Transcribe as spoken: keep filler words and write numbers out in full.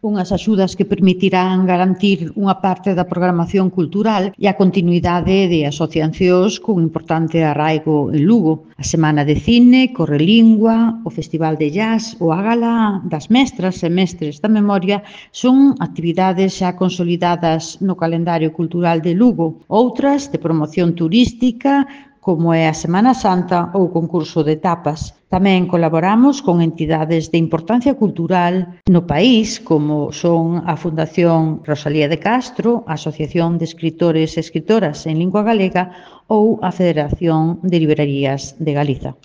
Unhas axudas que permitirán garantir unha parte da programación cultural e a continuidade de asociacións con importante arraigo en Lugo. A Semana de Cine, Correlingua, o Festival de Jazz ou a Gala das Mestras e Mestres da Memoria son actividades xa consolidadas no calendario cultural de Lugo. Outras de promoción turística, como é a Semana Santa ou o concurso de tapas. Tamén colaboramos con entidades de importancia cultural no país, como son a Fundación Rosalía de Castro, a Asociación de Escritores e Escritoras en Lingua Galega ou a Federación de Librarías de Galiza.